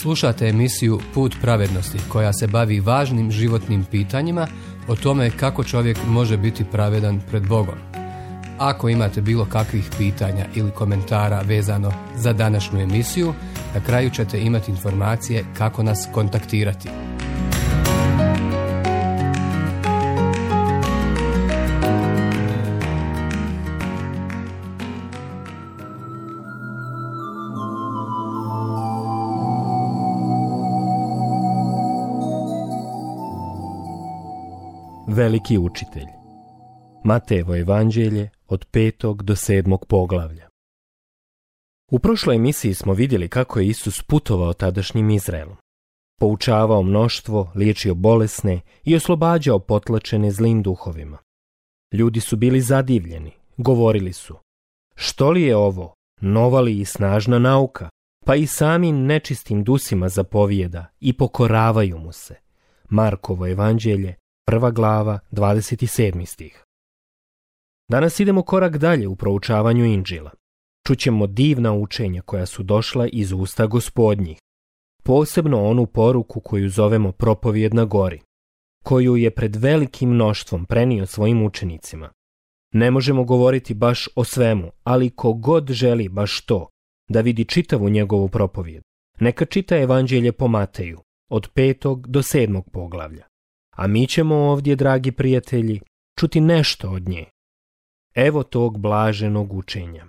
Slušate emisiju Put pravednosti koja se bavi važnim životnim pitanjima o tome kako čovjek može biti pravedan pred Bogom. Ako imate bilo kakvih pitanja ili komentara vezano za današnju emisiju, na kraju ćete imati informacije kako nas kontaktirati. Veliki učitelj. Matejevo evanđelje od 5. do 7. poglavlja. U prošloj emisiji smo vidjeli kako je Isus putovao tadašnjim Izraelom. Poučavao mnoštvo, liječio bolesne i oslobađao potlačene zlim duhovima. Ljudi su bili zadivljeni, govorili su: što li je ovo, nova li i snažna nauka, pa i samim nečistim dusima zapovijeda i pokoravaju mu se. Markovo evanđelje, 1. glava, 27. stih. Danas idemo korak dalje u proučavanju Inđila. Čućemo divna učenja koja su došla iz usta Gospodnjih, posebno onu poruku koju zovemo propovijed na gori, koju je pred velikim mnoštvom prenio svojim učenicima. Ne možemo govoriti baš o svemu, ali ko god želi baš to, da vidi čitavu njegovu propovijed, neka čita evanđelje po Mateju, od 5. do 7. poglavlja. A mi ćemo ovdje, dragi prijatelji, čuti nešto od nje. Evo tog blaženog učenja.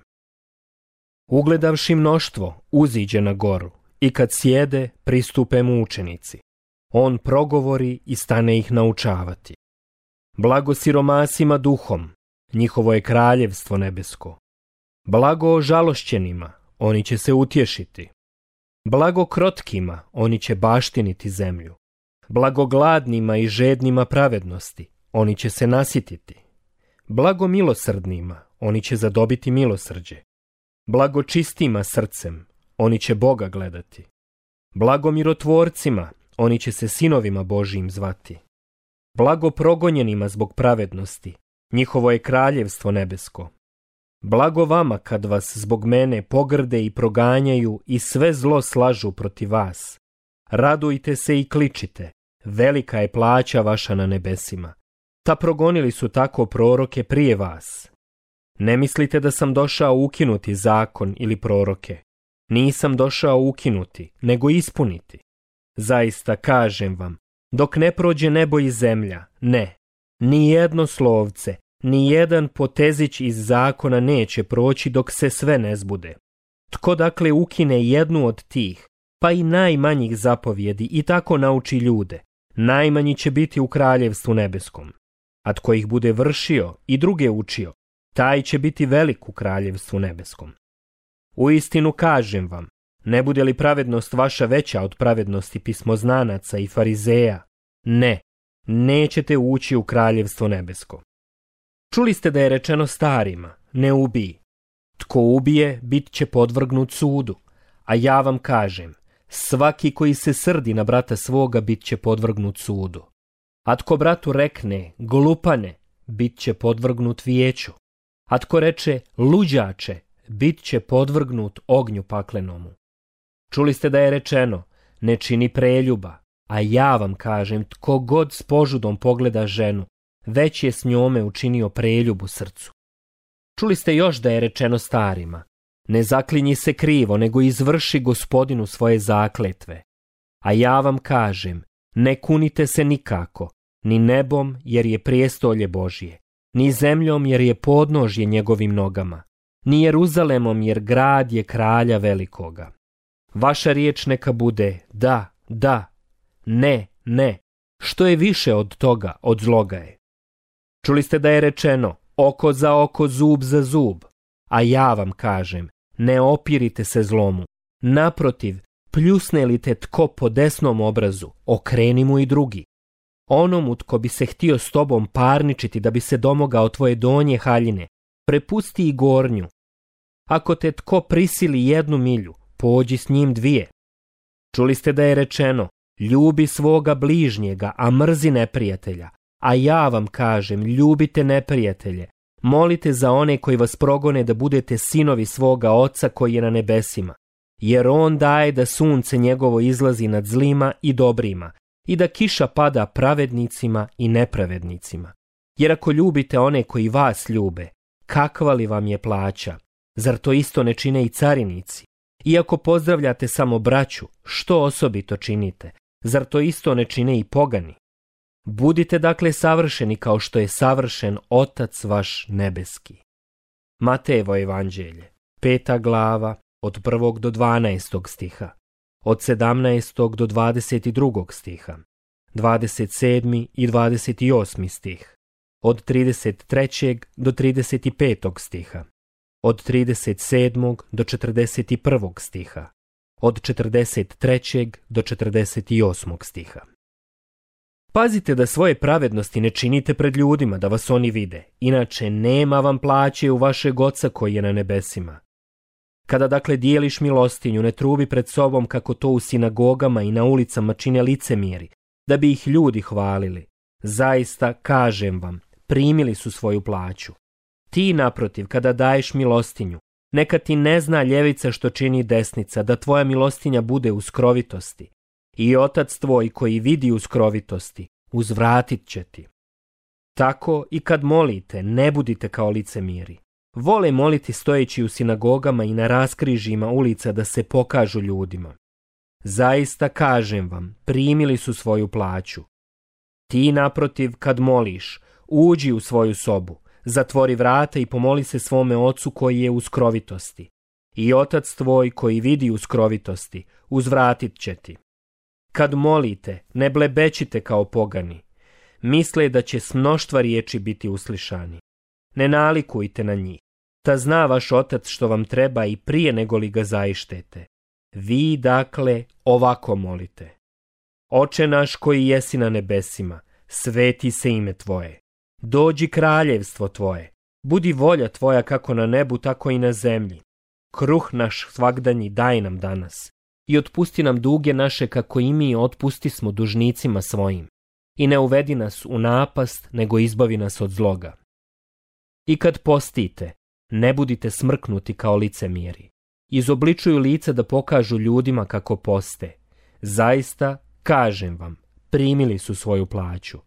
Ugledavši mnoštvo, uziđe na goru i kad sjede, pristupe mu učenici. On progovori i stane ih naučavati. Blago siromasima duhom, njihovo je kraljevstvo nebesko. Blago ožalošćenima, oni će se utješiti. Blago krotkima, oni će baštiniti zemlju. Blago gladnima i žednima pravednosti, oni će se nasititi. Blago milosrdnima, oni će zadobiti milosrđe. Blago čistima srcem, oni će Boga gledati. Blago mirotvorcima, oni će se sinovima Božijim zvati. Blago progonjenima zbog pravednosti, njihovo je kraljevstvo nebesko. Blago vama kad vas zbog mene pogrde i proganjaju i sve zlo slažu protiv vas. Radujte se i kličite, velika je plaća vaša na nebesima. Ta progonili su tako proroke prije vas. Ne mislite da sam došao ukinuti zakon ili proroke. Nisam došao ukinuti, nego ispuniti. Zaista kažem vam, dok ne prođe nebo i zemlja, ne, ni jedno slovce, ni jedan potezić iz zakona neće proći dok se sve ne zbude. Tko dakle ukine jednu od tih, pa i najmanjih zapovjedi i tako nauči ljude, najmanji će biti u kraljevstvu nebeskom. A tko ih bude vršio i druge učio, taj će biti velik u kraljevstvu nebeskom. Uistinu kažem vam, ne bude li pravednost vaša veća od pravednosti pismoznanaca i farizeja, ne, nećete ući u kraljevstvo nebesko. Čuli ste da je rečeno starima, ne ubij. Tko ubije, bit će podvrgnut sudu, a ja vam kažem, svaki koji se srdi na brata svoga bit će podvrgnut sudu. A tko bratu rekne, glupane, bit će podvrgnut vijeću. A tko reče, luđače, bit će podvrgnut ognju paklenomu. Čuli ste da je rečeno, ne čini preljuba, a ja vam kažem, tko god s požudom pogleda ženu, već je s njome učinio preljubu srcu. Čuli ste još da je rečeno starima, ne zaklinji se krivo, nego izvrši Gospodinu svoje zakletve. A ja vam kažem, ne kunite se nikako, ni nebom jer je prijestolje Božje, ni zemljom jer je podnožje njegovim nogama, ni Jeruzalemom jer grad je kralja velikoga. Vaša riječ neka bude da, da, ne, ne, što je više od toga, od zloga je. Čuli ste da je rečeno, oko za oko, zub za zub, a ja vam kažem, ne opirite se zlomu, naprotiv, pljusne li te tko po desnom obrazu, okreni mu i drugi. Onomu tko bi se htio s tobom parničiti da bi se domogao tvoje donje haljine, prepusti i gornju. Ako te tko prisili 1 milju, pođi s njim 2. Čuli ste da je rečeno, ljubi svoga bližnjega, a mrzi neprijatelja. A ja vam kažem, ljubite neprijatelje, molite za one koji vas progone da budete sinovi svoga Oca koji je na nebesima. jer on daje da sunce njegovo izlazi nad zlima i dobrima i da kiša pada pravednicima i nepravednicima. Jer ako ljubite one koji vas ljube, kakva li vam je plaća? Zar to isto ne čine i carinici? I ako pozdravljate samo braću, što osobito činite? Zar to isto ne čine i pogani? Budite dakle savršeni kao što je savršen Otac vaš nebeski. Matejevo evanđelje, 5. glava, od 1. do 12. stiha, od 17. do 22. stiha, 27. i 28. stih, od 33. do 35. stiha, od 37. do 41. stiha, od 43. do 48. stiha. Pazite da svoje pravednosti ne činite pred ljudima da vas oni vide, inače nema vam plaće u vašeg Oca koji je na nebesima. Kada dakle dijeliš milostinju, ne trubi pred sobom kako to u sinagogama i na ulicama čine licemjeri, da bi ih ljudi hvalili. Zaista, kažem vam, primili su svoju plaću. Ti, naprotiv, kada daješ milostinju, neka ti ne zna ljevica što čini desnica, da tvoja milostinja bude u skrovitosti. I Otac tvoj koji vidi u skrovitosti, uzvratit će ti. Tako i kad molite, ne budite kao licemjeri. Vole moliti stojeći u sinagogama i na raskrižjima ulica da se pokažu ljudima. Zaista kažem vam, primili su svoju plaću. Ti, naprotiv, kad moliš, uđi u svoju sobu, zatvori vrata i pomoli se svome Ocu koji je u skrovitosti. I Otac tvoj koji vidi u skrovitosti, uzvratit će ti. Kad molite, ne blebećite kao pogani. Misle da će s mnoštva riječi biti uslišani. Ne nalikujte na njih. Ta zna vaš Otac što vam treba i prije nego li ga zaištete. Vi, dakle, ovako molite. Oče naš koji jesi na nebesima, sveti se ime tvoje. Dođi kraljevstvo tvoje. Budi volja tvoja kako na nebu, tako i na zemlji. Kruh naš svagdanji daj nam danas. I otpusti nam duge naše kako i mi otpustismo dužnicima svojim. I ne uvedi nas u napast, nego izbavi nas od zloga. I kad postite, ne budite smrknuti kao licemjeri. Izobličuju lica da pokažu ljudima kako poste. Zaista, kažem vam, primili su svoju plaću.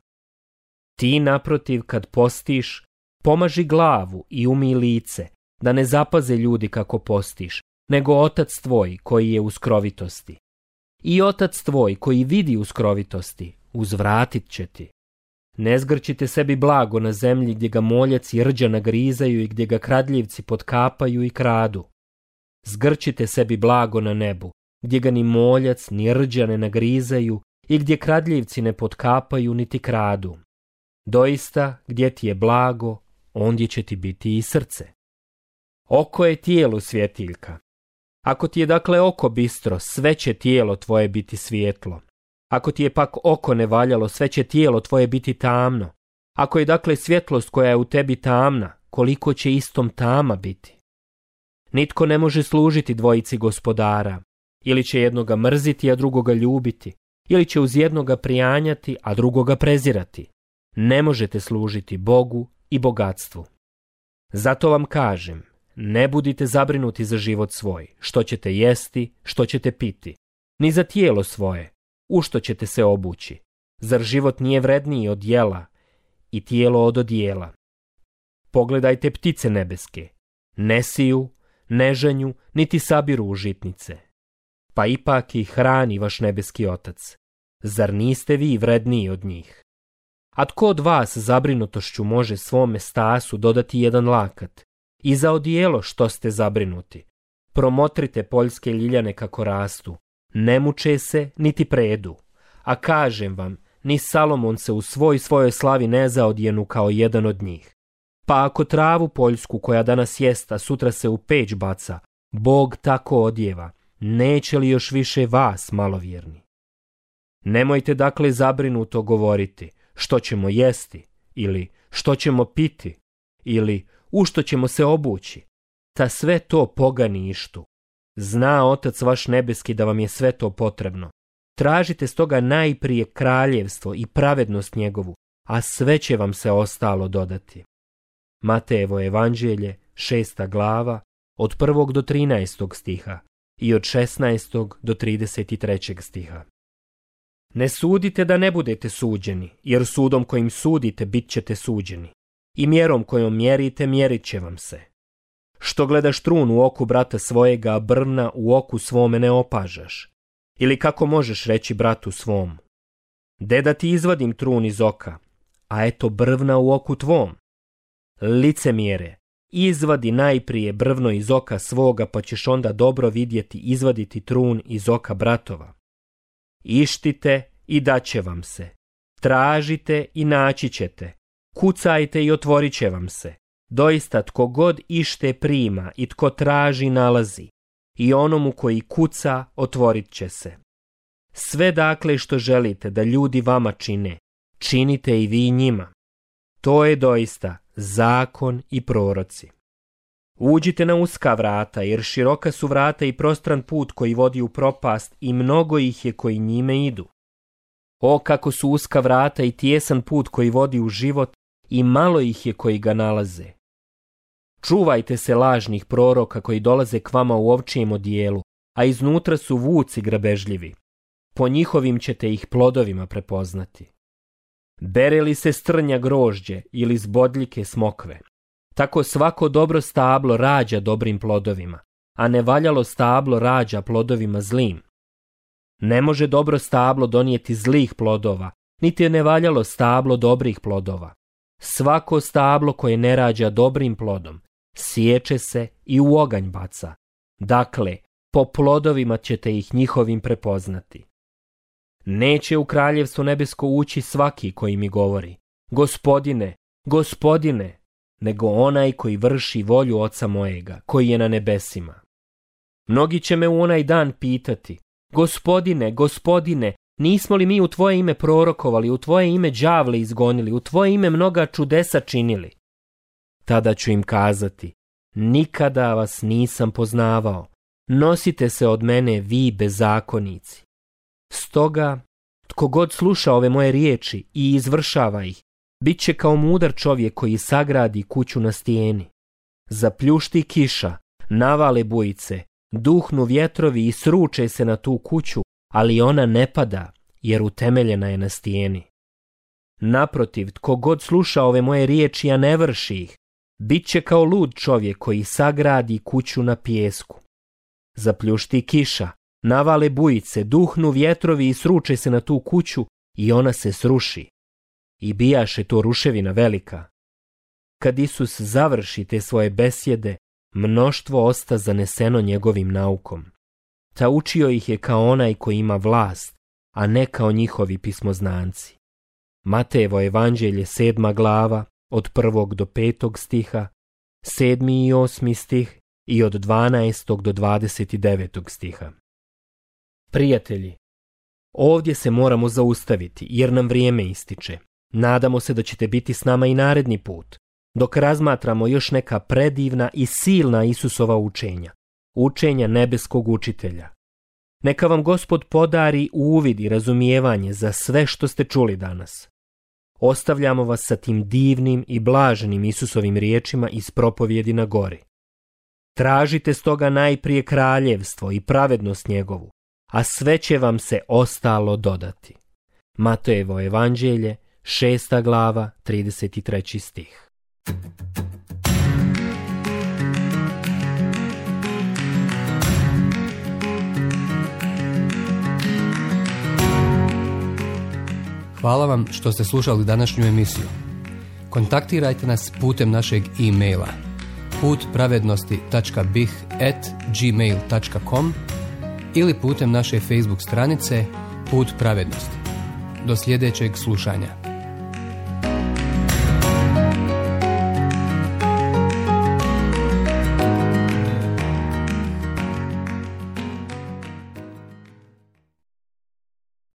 Ti, naprotiv, kad postiš, pomaži glavu i umij lice, da ne zapaze ljudi kako postiš, nego Otac tvoj koji je u skrovitosti. I Otac tvoj koji vidi u skrovitosti, uzvratit će ti. Ne zgrčite sebi blago na zemlji gdje ga moljac i rđa nagrizaju i gdje ga kradljivci potkapaju i kradu. Zgrčite sebi blago na nebu, gdje ga ni moljac ni rđa ne nagrizaju i gdje kradljivci ne potkapaju niti kradu. Doista, gdje ti je blago, ondje će ti biti i srce. Oko je tijelu svjetiljka. Ako ti je dakle oko bistro, sve će tijelo tvoje biti svijetlo. Ako ti je pak oko nevaljalo, sve će tijelo tvoje biti tamno. Ako je dakle svjetlost koja je u tebi tamna, koliko će istom tama biti? Nitko ne može služiti dvojici gospodara. Ili će jednoga mrziti, a drugoga ljubiti. Ili će uz jednoga prijanjati, a drugoga prezirati. Ne možete služiti Bogu i bogatstvu. Zato vam kažem, ne budite zabrinuti za život svoj, što ćete jesti, što ćete piti, ni za tijelo svoje, u što ćete se obući. Zar život nije vredniji od jela i tijelo od odijela? Pogledajte ptice nebeske, ne siju, ne žanju, niti sabiru u žitnice. Pa ipak ih hrani vaš nebeski Otac. Zar niste vi vredniji od njih? A tko od vas zabrinutošću može svome stasu dodati jedan lakat? I za odijelo što ste zabrinuti? Promotrite poljske ljiljane kako rastu. Ne muče se, niti predu. A kažem vam, ni Salomon se u svojoj slavi ne zaodjenu kao jedan od njih. Pa ako travu poljsku koja danas jest, a sutra se u peć baca, Bog tako odjeva, neće li još više vas, malovjerni? Nemojte dakle zabrinuto govoriti što ćemo jesti, ili što ćemo piti, ili u što ćemo se obući. Ta sve to pogani ištu. Zna Otac vaš nebeski da vam je sve to potrebno. Tražite stoga najprije kraljevstvo i pravednost njegovu, a sve će vam se ostalo dodati. Matejevo evanđelje, 6. glava, od 1. do 13. stiha, i od 16. do 33. stiha. Ne sudite da ne budete suđeni, jer sudom kojim sudite bit ćete suđeni, i mjerom kojom mjerite mjerit će vam se. Što gledaš trun u oku brata svojega, a brvna u oku svome ne opažaš? Ili kako možeš reći bratu svom: de da ti izvadim trun iz oka, a eto brvna u oku tvom? Licemjere, izvadi najprije brvno iz oka svoga, pa ćeš onda dobro vidjeti izvaditi trun iz oka bratova. Ištite i daće vam se, tražite i naći ćete, kucajte i otvorit će vam se. Doista tko god ište prima i tko traži nalazi, i onomu koji kuca otvorit će se. Sve dakle što želite da ljudi vama čine, činite i vi njima. To je doista zakon i proroci. Uđite na uska vrata, jer široka su vrata i prostran put koji vodi u propast, i mnogo ih je koji njime idu. O, kako su uska vrata i tijesan put koji vodi u život, i malo ih je koji ga nalaze. Čuvajte se lažnih proroka koji dolaze k vama u ovčijem odijelu, a iznutra su vuci grabežljivi. Po njihovim ćete ih plodovima prepoznati. Bere li se strnja grožđe ili s bodljike smokve? Tako svako dobro stablo rađa dobrim plodovima, a nevaljalo stablo rađa plodovima zlim. Ne može dobro stablo donijeti zlih plodova, niti je nevaljalo stablo dobrih plodova. Svako stablo koje ne rađa dobrim plodom, sječe se i u oganj baca. Dakle, po plodovima ćete ih njihovim prepoznati. Neće u kraljevstvo nebesko ući svaki koji mi govori: Gospodine, Gospodine, nego onaj koji vrši volju Oca mojega, koji je na nebesima. Mnogi će me u onaj dan pitati: Gospodine, Gospodine, nismo li mi u tvoje ime prorokovali, u tvoje ime đavle izgonili, u tvoje ime mnoga čudesa činili? Tada ću im kazati: nikada vas nisam poznavao, nosite se od mene vi bezakonici. Stoga, tko god sluša ove moje riječi i izvršava ih, bit će kao mudar čovjek koji sagradi kuću na stijeni. Zapljušti kiša, navale bujice, duhnu vjetrovi i sruče se na tu kuću, ali ona ne pada, jer utemeljena je na stijeni. Naprotiv, tko god sluša ove moje riječi, a ne vrši ih, bit će kao lud čovjek koji sagradi kuću na pijesku. Zapljušti kiša, navale bujice, duhnu vjetrovi i sruče se na tu kuću, i ona se sruši. I bijaše to ruševina velika. Kad Isus završi te svoje besjede, mnoštvo osta zaneseno njegovim naukom. Ta učio ih je kao onaj koji ima vlast, a ne kao njihovi pismoznanci. Matejevo evanđelje 7. glava, od 1. do 5. stiha, 7. i 8. stih i od 12. do 29. stiha. Prijatelji, ovdje se moramo zaustaviti jer nam vrijeme ističe. Nadamo se da ćete biti s nama i naredni put, dok razmatramo još neka predivna i silna Isusova učenja, učenja nebeskog učitelja. Neka vam Gospod podari uvid i razumijevanje za sve što ste čuli danas. Ostavljamo vas sa tim divnim i blaženim Isusovim riječima iz propovjedi na gori. Tražite stoga najprije kraljevstvo i pravednost njegovu, a sve će vam se ostalo dodati. Matejevo evanđelje, 6. glava, 33. stih. Hvala vam što ste slušali današnju emisiju. Kontaktirajte nas putem našeg e-maila putpravednosti.bih@gmail.com ili putem naše Facebook stranice Put pravednosti. Do sljedećeg slušanja.